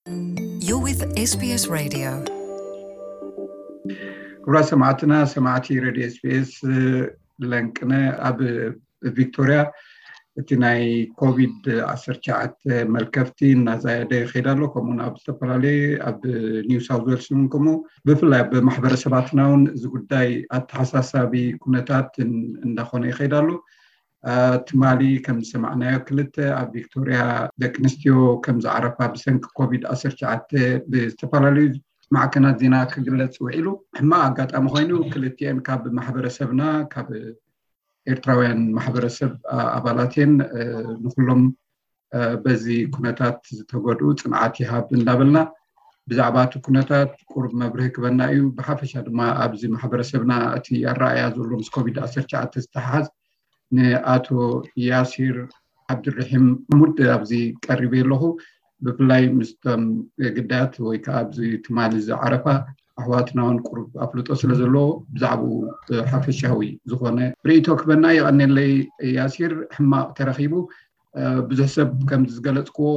You're with S B S Radio. ክቡራት ሰማዕትና፣ ሰማዕቲ ሬድዮ ኤስቢኤስ ለንቅነ ኣብ ቪክቶሪያ እቲ ናይ ኮቪድ ዓሰርተ ትሽዓተ መልከፍቲ እናዛየደ ይኸይድ ኣሎ። ከምኡውን ኣብ ዝተፈላለየ ኣብ ኒው ሳውት ዌልስ እውን ከምኡ ብፍላይ ኣብ ማሕበረሰባትና እውን እዚ ጉዳይ ኣተሓሳሳቢ ኩነታት እንዳኾነ ይኸይድ ኣሎ። ትማሊ ከም ዝሰማዕናዮ ክልተ ኣብ ቪክቶሪያ ደቂ ኣንስትዮ ከም ዝዓረፋ ብሰንኪ ኮቪድ ዓሰርተ ትሽዓተ ብዝተፈላለዩ ማዕከናት ዜና ክግለጽ ውዒሉ። ሕማቕ ኣጋጣሚ ኮይኑ ክልቲኤን ካብ ማሕበረሰብና ካብ ኤርትራውያን ማሕበረሰብ ኣባላትን ንኩሎም በዚ ኩነታት ዝተጎድኡ ጽንዓት ይሃብ እንዳበልና ብዛዕባ እቲ ኩነታት ቁሩብ መብርሂ ክበና እዩ። ብሓፈሻ ድማ ኣብዚ ማሕበረሰብና እቲ ኣረኣያ ዘሎ ምስ ኮቪድ ዓሰርተ ትሽዓተ ዝተሓሓዝ ንኣቶ ያሲር ዓብድርሒም ሙድ ኣብዚ ቀሪበ ኣለኹ። ብፍላይ ምስቶም ግዳያት ወይ ከዓ ኣብዚ ትማሊ ዝዓረፋ ኣሕዋትና እውን ቁሩብ ኣፍልጦ ስለ ዘለዎ ብዛዕባኡ ሓፈሻዊ ዝኾነ ርእይቶ ክበና። የቐኔለይ ያሲር። ሕማቕ ተረኺቡ። ብዙሕ ሰብ ከምዚ ዝገለፅክዎ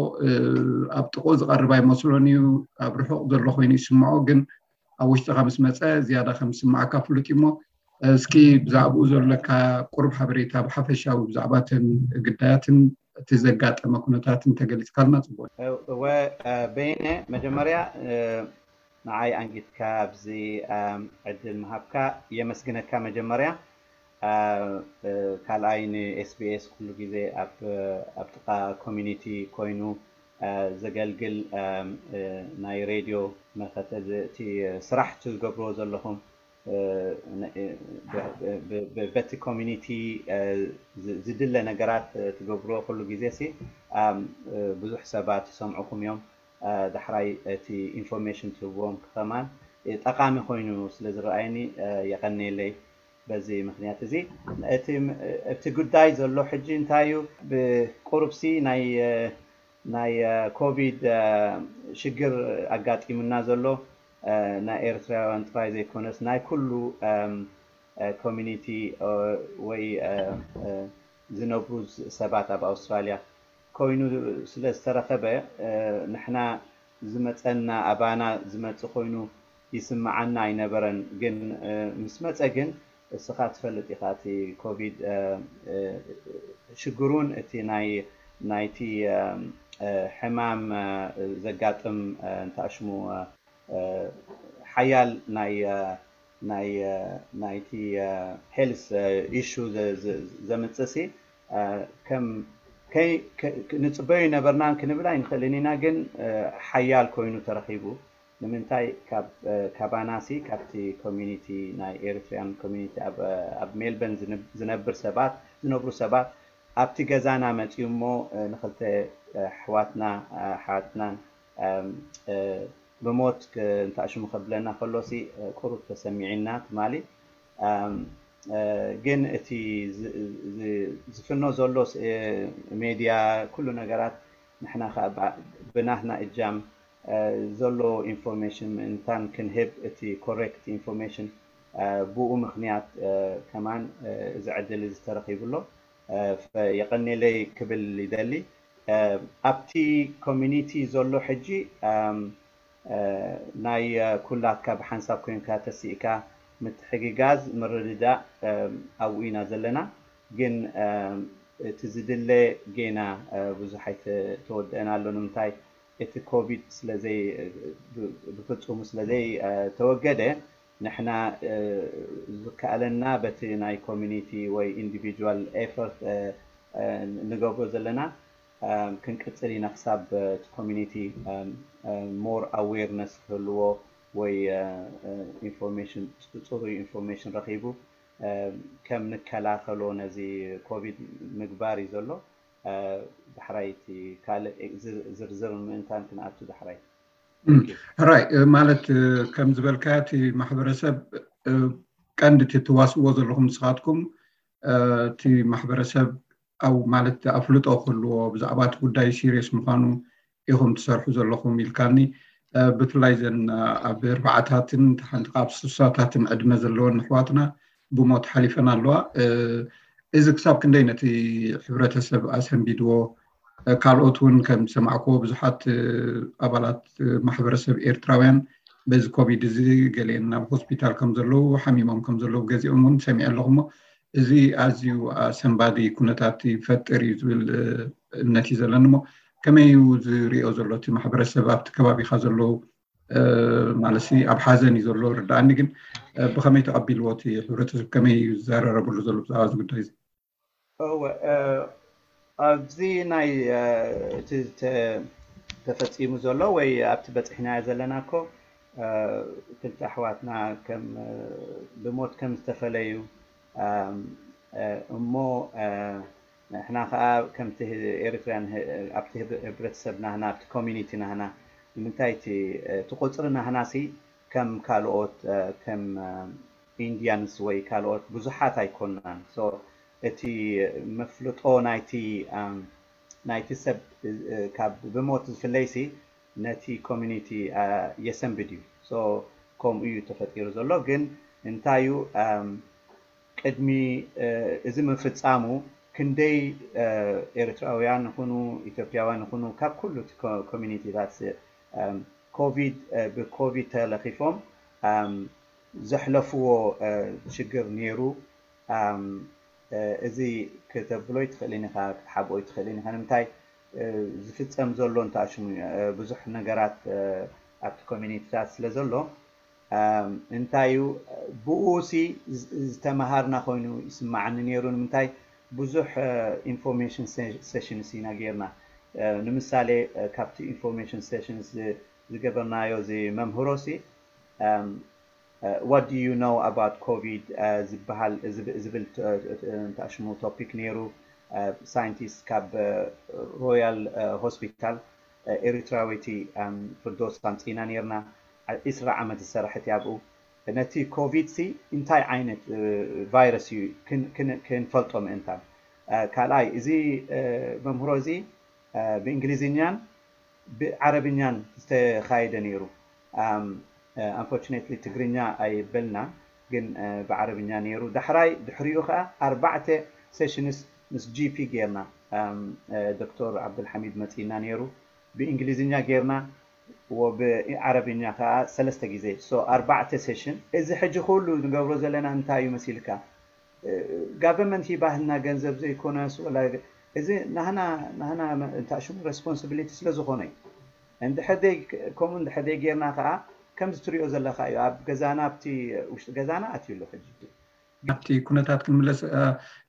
ኣብ ጥቕኡ ዝቐርብ ኣይመስሎን እዩ። ኣብ ርሑቕ ዘሎ ኮይኑ ይስምዖ፣ ግን ኣብ ውሽጥኻ ምስ መፀ ዝያዳ ከም ዝስምዓካ ፍሉጥ እዩ። እሞ እስኪ ብዛዕባኡ ዘለካ ቁሩብ ሓበሬታ ብሓፈሻዊ ብዛዕባ እተን ግዳያትን እቲ ዘጋጠመ ኩነታትን ተገሊፅካልና ፅቡቅ። እወ በይነ፣ መጀመርያ ንዓይ ኣንጊትካ ኣብዚ ዕድል ምሃብካ የመስግነካ። መጀመርያ ካልኣይ ንኤስቢኤስ ኩሉ ግዜ ኣብ ጥቃ ኮሚኒቲ ኮይኑ ዘገልግል ናይ ሬድዮ መኸተ እቲ ስራሕ ትገብርዎ ዘለኹም በቲ ኮሚኒቲ ዝድለ ነገራት ትገብርዎ ኩሉ ግዜ ሲ ብዙሕ ሰባት ይሰምዑኹም እዮም። ዳሕራይ እቲ ኢንፎርሜሽን ትህብዎም ከማን ጠቃሚ ኮይኑ ስለ ዝረኣየኒ የቀንየለይ። በዚ ምክንያት እዚ እቲ ጉዳይ ዘሎ ሕጂ እንታይ እዩ? ብቁሩብሲ ናይ ናይ ኮቪድ ሽግር ኣጋጢሙና ዘሎ ናይ ኤርትራውያን ጥራይ ዘይኮነስ ናይ ኩሉ ኮሚኒቲ ወይ ዝነብሩ ሰባት ኣብ ኣውስትራልያ ኮይኑ ስለ ዝተረኸበ ንሕና ዝመፀና ኣባና ዝመፅ ኮይኑ ይስምዓና ኣይነበረን። ግን ምስ መፀ ግን እስኻ ትፈልጥ ኢኻ እቲ ኮቪድ ሽግሩን እቲ ናይ ናይቲ ሕማም ዘጋጥም እንታሽሙ ሓያል ናይ ናይ ናይቲ ሄልስ ኢሹ ዘምፅእ ሲ ከም ንፅበዮ ይነበርናን ክንብል ኣይንኽእልን ኢና። ግን ሓያል ኮይኑ ተረኺቡ። ንምንታይ? ካባናሲ ካብቲ ኮሚኒቲ ናይ ኤሪትሪያን ኮሚኒቲ ኣብ ሜልበርን ዝነብር ሰባት ዝነብሩ ሰባት ኣብቲ ገዛና መፅዩ እሞ ንክልተ ኣሕዋትና ኣሓትናን ብሞት እንታሽሙ ከብለና ከሎሲ ቁሩብ ተሰሚዒና ትማሊ። ግን እቲ ዝፍኖ ዘሎ ሜድያ ኩሉ ነገራት ንሕና ከዓ ብናትና እጃም ዘሎ ኢንፎርሜሽን ምእንታን ክንህብ እቲ ኮሬክት ኢንፎርሜሽን ብኡ ምክንያት ከማን እዚ ዕድል እዚ ተረኪቡ ኣሎ። የቀኔለይ ክብል ይደሊ። ኣብቲ ኮሚኒቲ ዘሎ ሕጂ ናይ ኩላትካ ብሓንሳብ ኮይንካ ተሲእካ ምትሕግጋዝ ምርድዳእ ኣብኡ ኢና ዘለና። ግን እቲ ዝድለ ጌና ብዙሕ ኣይተወደአን ኣሎ። ንምንታይ? እቲ ኮቪድ ስለዘይ ብፍፁሙ ስለዘይ ተወገደ ንሕና ዝከኣለና በቲ ናይ ኮሚኒቲ ወይ ኢንዲቪጁዋል ኤፈርት ንገብሮ ዘለና ክንቅፅል ኢና ክሳብ እቲ ኮሚኒቲ ሞር ኣዌርነስ ክህልዎ ወይ ኢንፎርሜሽን ፅሩይ ኢንፎርሜሽን ረኪቡ ከም ንከላኸሎ ነዚ ኮቪድ ምግባር እዩ ዘሎ። ዳሕራይ እቲ ካልእ ዝርዝር ምእንታን ክንኣቱ ዳሕራይ ሕራይ ማለት ከም ዝበልካዮ እቲ ማሕበረሰብ ቀንዲ እቲ ትዋስዎ ዘለኹም ንስኻትኩም እቲ ማሕበረሰብ ኣብ ማለት ኣፍልጦ ክህልዎ ብዛዕባ እቲ ጉዳይ ሲሪየስ ምዃኑ ኢኹም ትሰርሑ ዘለኹም ኢልካኒ። ብፍላይ ዘን ኣብ ኣርባዓታትን ሓንቲ ካብ ስሳታትን ዕድመ ዘለወን ኣሕዋትና ብሞት ሓሊፈን ኣለዋ። እዚ ክሳብ ክንደይ ነቲ ሕብረተሰብ ኣሰንቢድዎ? ካልኦት እውን ከም ዝሰማዕክዎ ብዙሓት ኣባላት ማሕበረሰብ ኤርትራውያን በዚ ኮቪድ እዚ ገሊአን ናብ ሆስፒታል ከም ዘለዉ ሓሚሞም ከም ዘለዉ ገዚኦም እውን ሰሚዐ ኣለኹ እሞ እዚ ኣዝዩ ኣሰንባዲ ኩነታት ይፈጥር እዩ ዝብል እምነት እዩ ዘለኒ እሞ ከመይ እዩ ዝሪኦ ዘሎ እቲ ማሕበረሰብ ኣብቲ ከባቢካ ዘለዉ ማለት ኣብ ሓዘን እዩ ዘሎ ርዳኣኒ ግን ብከመይ ተቐቢልዎ እቲ ሕብረተሰብ ከመይ እዩ ዝዘራረበሉ ዘሎ ብዛዕባ እዚ ጉዳይ እዚ እወ ኣብዚ ናይ እቲ ተፈፂሙ ዘሎ ወይ ኣብቲ በፂሕናዮ ዘለና እኮ ክልተ ኣሕዋትና ከም ብሞት ከም ዝተፈለዩ እሞ ንሕና ከዓ ከምቲ ኤርትራያን ኣብቲ ህብረተሰብ ናህና ኣብቲ ኮሚኒቲ ናህና ንምንታይ እቲ ቁፅሪ ናህና ሲ ከም ካልኦት ከም ኢንዲያንስ ወይ ካልኦት ብዙሓት ኣይኮናን እቲ መፍልጦ ናይቲ ናይቲ ሰብ ካብ ብሞት ዝፍለይሲ ነቲ ኮሚኒቲ የሰንብድ እዩ ከምኡ እዩ ተፈጢሩ ዘሎ ግን እንታዩ ቅድሚ እዚ ምፍፃሙ ክንደይ ኤርትራውያን ይኹኑ ኢትዮጵያውያን ይኹኑ ካብ ኩሉ ኮሚኒቲታት ኮቪድ ብኮቪድ ተለኺፎም ዘሕለፍዎ ሽግር ነይሩ እዚ ክተብሎ ይትኽእልን ኢኻ ክትሓብኦ ይትኽእልን ኢኻ ንምንታይ ዝፍፀም ዘሎ እንተኣሽሙ ብዙሕ ነገራት ኣብቲ ኮሚኒቲታት ስለ ዘሎ እንታይ እዩ ብኡ ሲ ዝተምሃርና ኮይኑ ይስማዓኒ ነይሩ ንምንታይ ብዙሕ information sessions ኢና ጌርና ንምሳሌ ካብቲ information sessions ዝገበርናዮ እዚ መምህሮ ሲ what do you know about ኮቪድ ዝበሃል ዝብል እንተሽሙ ቶፒክ ነይሩ ሳይንቲስት ካብ ሮያል ሆስፒታል ኤሪትራዊቲ ፍርዶስ ኣምፂና ነርና ዒስራ ዓመት ዝሰራሐት ኣብኡ ነቲ ኮቪድ ሲ እንታይ ዓይነት ቫይረስ እዩ ክንፈልጦ ምእንታን ካልኣይ እዚ መምህሮ እዚ ብእንግሊዝኛን ብዓረብኛን ዝተኻየደ ነይሩ unfortunately ትግርኛ ኣይበልና ግን ብዓረብኛ ነይሩ ዳሕራይ ድሕሪኡ ከዓ ኣርባዕተ sessions ምስ ጂፒ ጌርና ዶክተር ዓብዱልሓሚድ መፂና ነይሩ ብእንግሊዝኛ ጌርና ብዓረብኛ ከዓ ሰለስተ ግዜ ኣርባዕተ session እዚ ሕጂ ኩሉ ንገብሮ ዘለና እንታይ እዩ መሲልካ ጋቨርንመንት ሂባህልና ገንዘብ ዘይኮነስ ወላ እዚ ናህና ናህና እንታይ ሽሙ responsibility ስለ ዝኾነ እዩ እንድሕር ከምኡ እንድሕር ጌርና ከዓ ከምዚ ትሪኦ ዘለካ እዩ ኣብ ገዛና ኣብቲ ውሽጢ ገዛና ኣትዩ ኣሎ ሕጂ ኣብቲ ኩነታት ክንምለስ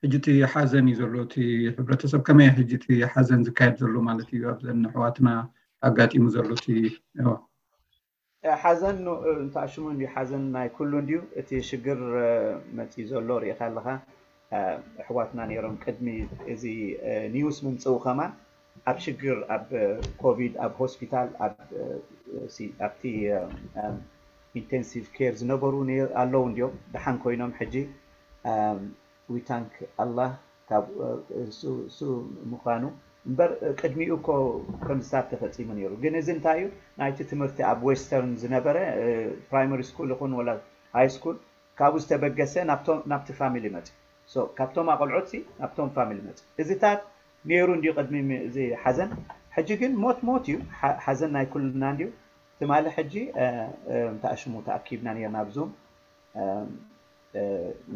ሕጂ እቲ ሓዘን እዩ ዘሎ እቲ ሕብረተሰብ ከመይ ሕጂ እቲ ሓዘን ዝካየድ ዘሎ ማለት እዩ ኣብዘን ኣሕዋትና ኣጋጢሙ ዘሎ እቲ ሓዘን እንተኣሽሙ እንዲ ሓዘን ናይ ኩሉ እንዲዩ እቲ ሽግር መፂ ዘሎ ርኢካ ኣለካ ኣሕዋትና ነይሮም ቅድሚ እዚ ኒውስ ምምፅኡ ከማን ኣብ ሽግር ኣብ ኮቪድ ኣብ ሆስፒታል ኣብቲ intensive care ዝነበሩ ኣለዉ እንዲዮም ደሓን ኮይኖም ሕጂ we thank Allah ካብ እሱ ምዃኑ እምበር ቅድሚኡ እኮ ከምዝታት ተፈፂሙ ነይሩ ግን እዚ እንታይ እዩ ናይቲ ትምህርቲ ኣብ western ዝነበረ primary school ይኹን ወላ high school ካብኡ ዝተበገሰ ናብቲ family መፅ ካብቶም ኣቆልዑት ናብቶም family መፅ እዚታት ነይሩ እንዲዩ ቅድሚ እዚ ሓዘን ሕጂ ግን ሞት ሞት እዩ ሓዘን ናይ ኩልና እንዲዩ ትማሊ ሕጂ እንተኣሽሙ ተኣኪብና ነርና ኣብ ዙም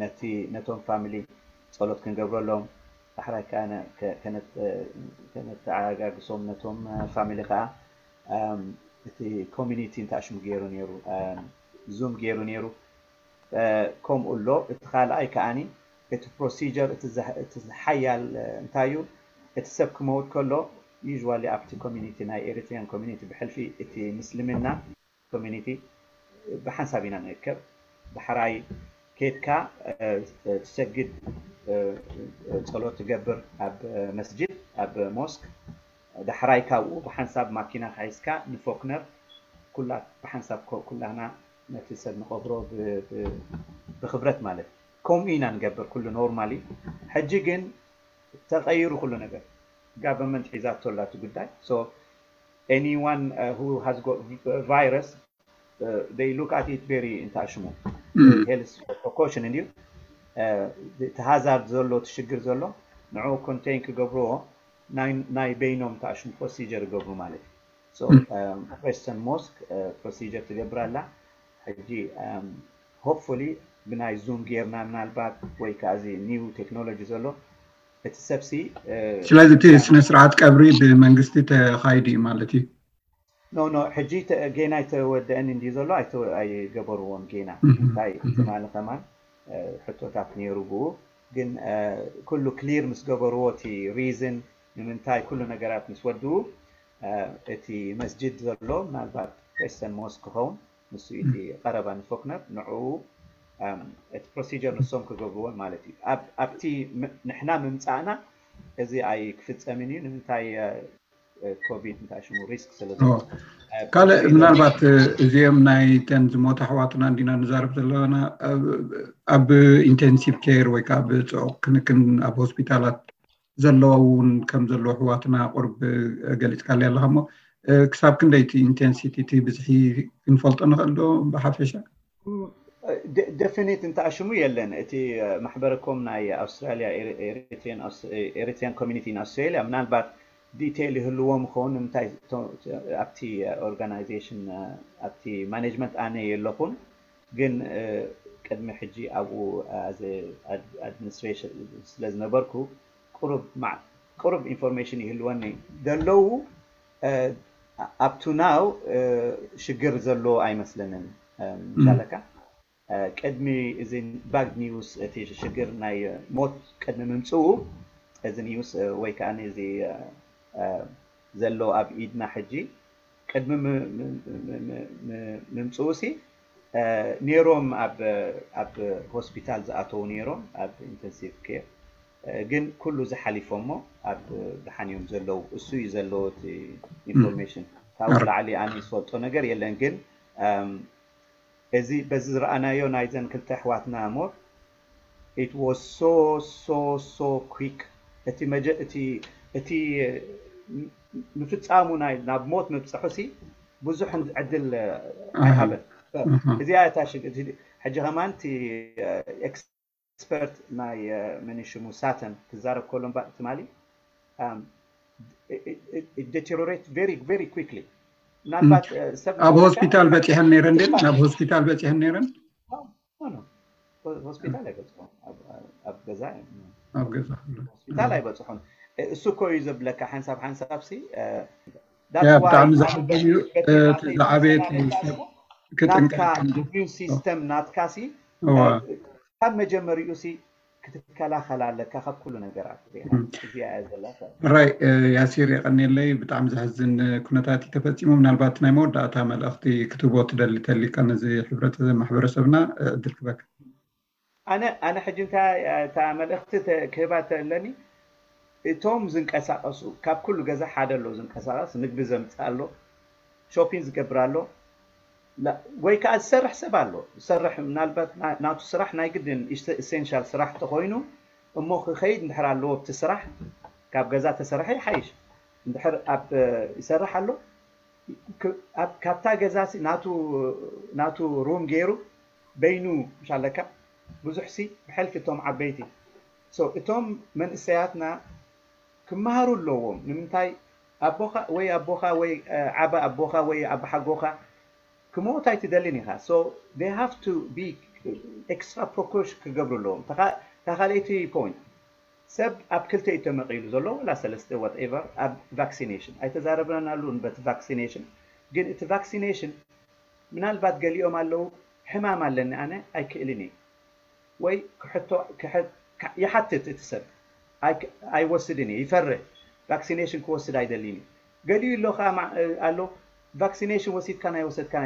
ነቲ ነቶም family ፀሎት ክንገብረሎም ዳሕራይ ከነተዓጋግሶም ነቶም family ከዓ እቲ community እንተኣሽሙ ገይሩ ነይሩ ዙም ገይሩ ነይሩ ከምኡ ኣሎ እቲ ካልኣይ ከዓኒ እቲ procedure እቲ ሓያል እንታይ እዩ እቲ ሰብ ክመውት ከሎ usually ኣብቲ community ናይ Eritrean community ብሕልፊ እቲ ምስልምና community ብሓንሳብ ኢና ንእከብ ዳሕራይ ኬድካ ትሰግድ ፀሎት ትገብር ኣብ መስጅድ ኣብ mosque ዳሕራይ ካብኡ ብሓንሳብ ማኪና ሓይዝካ ንፎክነር ኩላ ብሓንሳብ ኩላህና ነቲ ሰብ ንቐብሮ ብክብረት ማለት ከምኡ ኢና ንገብር ኩሉ normally ሕጂ ግን ተቐይሩ ኩሉ ነገር government ሒዛቶ ኣላ እቲ ጉዳይ so anyone who has got virus they look at it very እንተኣሽሙ health precaution እንድዩ እቲ hazard ዘሎ እቲ ሽግር ዘሎ ንዕኡ contain ክገብርዎ ናይ በይኖም ተኣሽሙ procedure ይገብሩ ማለት እዩ። Western Mosque procedure ትገብር ኣላ። ሕጂ hopefully ብናይ Zoom ጌርና ምናልባት ወይ ከዓ እዚ new technology ዘሎ እቲ ሰብሲ ስለዚ እቲ ስነ ስርዓት ቀብሪ ብመንግስቲ ተኻይዱ እዩ ማለት እዩ። ኖ ኖ ሕጂ ጌና ኣይተወደአን እንዲ ዘሎ ኣይገበርዎን ጌና። እንታይ ትማሊ ከማን ሕቶታት ነይሩ ብኡ፣ ግን ኩሉ clear ምስ ገበርዎ እቲ reason ንምንታይ ኩሉ ነገራት ምስ ወድኡ እቲ መስጅድ ዘሎ ምናልባት Western Mosque ክኸውን ንሱ እቲ ቀረባ ንፎክነር ንዕኡ እቲ procedure ንሶም ክገብርዎን ማለት እዩ። ኣብቲ ንሕና ምምፃእና እዚ ኣይክፍፀምን እዩ። ንምንታይ? ኮቪድ እንታይ ሽሙ risk ስለ ካልእ ምናልባት እዚኦም ናይ ተን ዝሞታ ኣሕዋትና እንዲና ንዛረብ ዘለና ኣብ intensive care ወይ ከዓ ብፅዑቕ ክንክን ኣብ ሆስፒታላት ዘለዋ እውን ከም ዘለዉ ኣሕዋትና ቁርብ ገሊፅካለይ ኣለካ እሞ ክሳብ ክንደይ እቲ intensity እቲ ብዝሒ ክንፈልጦ ንኽእል ዶ ብሓፈሻ? Definite እንተኣሽሙ የለን። እቲ ማሕበረኮም ናይ ኣውስትራሊያ Eritrean community in Australia ምናልባት detail ይህልዎም ይኸውን። ንምንታይ ኣብቲ organization ኣብቲ management ኣነ የለኹን፣ ግን ቅድሚ ሕጂ ኣብኡ administration ስለ ዝነበርኩ ቁሩብ information ይህልወኒ። ዘለዉ up to now ሽግር ዘሎ ኣይመስለንን። ምሻለካ ቅድሚ እዚ bad news እቲ ሽግር ናይ ሞት ቅድሚ ምምፅኡ እዚ news ወይ ከዓ እዚ ዘሎ ኣብ ኢድና ሕጂ ቅድሚ ምምፅኡ ሲ ነይሮም ኣብ ሆስፒታል ዝኣተዉ ነይሮም ኣብ intensive care፣ ግን ኩሉ ዝሓሊፎሞ ኣብ ደሓን እዮም ዘለዉ። እሱ እዩ ዘለዎ እቲ information። ካብኡ ላዕሊ ኣነ ዝፈልጦ ነገር የለን። ግን እዚ በዚ ዝረኣናዮ ናይዘን ክልተ ኣሕዋትና ሞት it was so so so quick። እቲ እቲ እቲ ምፍፃሙ ናይ ናብ ሞት ምብፅሑ ሲ ብዙሕ ዕድል ኣይሃበን። እዚኣ እታ ሕጂ ከማን እቲ expert ናይ መን ሽሙ ሳተን ክዛረብ ከሎ ትማሊ deteriorate very very quickly። ምናልባት ኣብ ሆስፒታል በፂሐን ነይረን ድን ናብ ሆስፒታል በፂሐን ነይረን ሆስፒታል ኣይበፅሑን። ኣብ ገዛ ኣብ ገዛ ሆስፒታል ኣይበፅሑን። እሱ እኮ እዩ ዘብለካ ሓንሳብ ሓንሳብ ሲ ብጣዕሚ ዘሕዝን እዩ። እቲ ዝዓበየ እቲ ሰብ ክጥንቀቅ immune system ናትካ ሲ ካብ መጀመሪኡ ሲ ክትከላኸል ኣለካ ካብ ኩሉ ነገራት። እዚኣ እያ ዘላ። ራይ ያሲር የቀንየለይ። ብጣዕሚ ዘሕዝን ኩነታት እዩ ተፈፂሙ። ምናልባት ናይ መወዳእታ መልእኽቲ ክትህቦ ትደሊ ተሊካ ነዚ ሕብረተሰብ ማሕበረሰብና ዕድል ክበካ። ኣነ ኣነ ሕጂ እንታይ እታ መልእኽቲ ክህባ ተለኒ እቶም ዝንቀሳቀሱ ካብ ኩሉ ገዛ ሓደ ኣሎ ዝንቀሳቀስ ምግቢ ዘምፅእ ኣሎ ሾፒን ዝገብር ኣሎ ወይ ከዓ ዝሰርሕ ሰብ ኣሎ ዝሰርሕ ምናልባት ናቱ ስራሕ ናይ ግድን essential ስራሕ ተኮይኑ እሞ ክኸይድ እንድሕር ኣለዎ ኣብቲ ስራሕ ካብ ገዛ ተሰርሐ ይሓይሽ እንድሕር ኣብ ይሰርሕ ኣሎ ካብታ ገዛ ናቱ ሩም ገይሩ በይኑ ምሻለካ ብዙሕ ሲ ብሕልፊ እቶም ዓበይቲ እቶም መንእሰያትና ክመሃሩ ኣለዎም ንምንታይ ኣቦኻ ወይ ኣቦኻ ወይ ዓባ ኣቦኻ ወይ ዓባ ሓጎኻ ክሞት ኣይትደልን ኢኻ so they have to be extra precaution ክገብሩ ኣለዎም እታ ካልኣይቲ point ሰብ ኣብ ክልተ እዩ ተመቒሉ ዘሎ ወላ ሰለስተ whatever ኣብ vaccination ኣይተዛረብናሉ በቲ vaccination ግን እቲ vaccination ምናልባት ገሊኦም ኣለዉ ሕማም ኣለኒ ኣነ ኣይክእልን እየ ወይ ክሕቶ ይሓትት እቲ ሰብ ኣይወስድን እየ ይፈርህ vaccination ክወስድ ኣይደልን እዩ ገሊኡ ኣሎ ከዓ ኣሎ vaccination ወሲድካን ኣይወሰድካን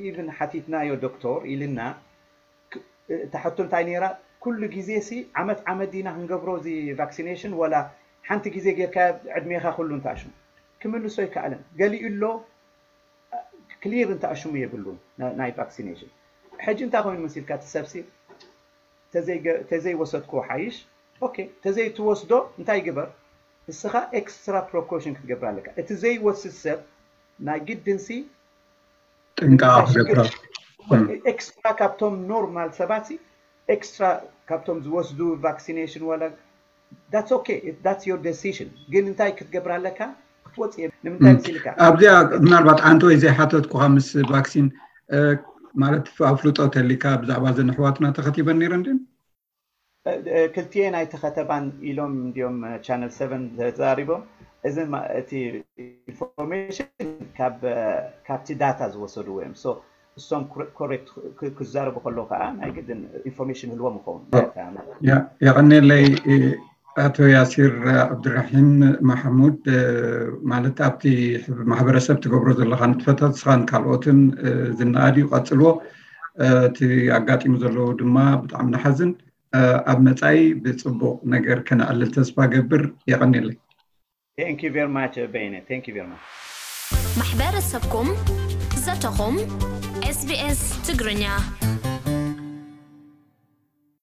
even ሓቲትናዮ ዶክተር ኢልና እታ ሕቶ እንታይ ነይራ ኩሉ ግዜ ሲ ዓመት ዓመት ዲና ክንገብሮ እዚ vaccination ወላ ሓንቲ ግዜ ጌርካ ዕድሜኻ ኩሉ እንተኣሽሙ ክምልሶ ይከኣልን ገሊኡ ኣሎ clear እንተኣሽሙ የብሉን ናይ vaccination ሕጂ እንታይ ኮይኑ መሲልካ እቲ ሰብሲ ተዘይወሰድክዎ ሓይሽ okay ተዘይትወስዶ እንታይ ግበር እስኻ extra precaution ክትገብር ኣለካ እቲ ዘይወስድ ሰብ ናይ ግድንሲ ጥንቃ ክገብር extra ካብቶም normal ሰባት extra ካብቶም ዝወስዱ vaccination ወላ that's okay, that's your decision። ግን እንታይ ክትገብር ኣለካ? ክትወፅእ እየ። ንምንታይ ምስ ኢልካ? ኣብዚኣ ምናልባት ኣንተ ወይ ዘይሓተትኩኻ ምስ ቫክሲን ማለት ኣፍልጦ ተሊካ ብዛዕባ ዘን ኣሕዋትና ተኸቲበን ነይረን ድን? ክልቲኤን ኣይተኸተባን ኢሎም እንዲዮም ቻነል ሰቨን ተዛሪቦም። እዚ እቲ ኢንፎርሜሽን ካብቲ ዳታ ዝወሰድዎ እዮም። እሶም ኮሬክት ክዛረቡ ከለዉ ከዓ ናይ ግድን ኢንፎርሜሽን ህልዎም ይኸውን። የቐኔለይ ኣቶ ያሲር ዓብድራሒም ማሕሙድ፣ ማለት ኣብቲ ማሕበረሰብ ትገብሮ ዘለኻ ንጥፈታት ስኻን ካልኦትን ዝነኣድ እዩ። ቀፅልዎ። እቲ ኣጋጢሙ ዘለዎ ድማ ብጣዕሚ ንሓዝን። ኣብ መፃኢ ብፅቡቕ ነገር ከነዕልል ተስፋ ገብር። የቐኔለይ። Thank you very much በይነ። Thank you very much። ማሕበረሰብኩም ዘተኹም ኤስቢኤስ ትግርኛ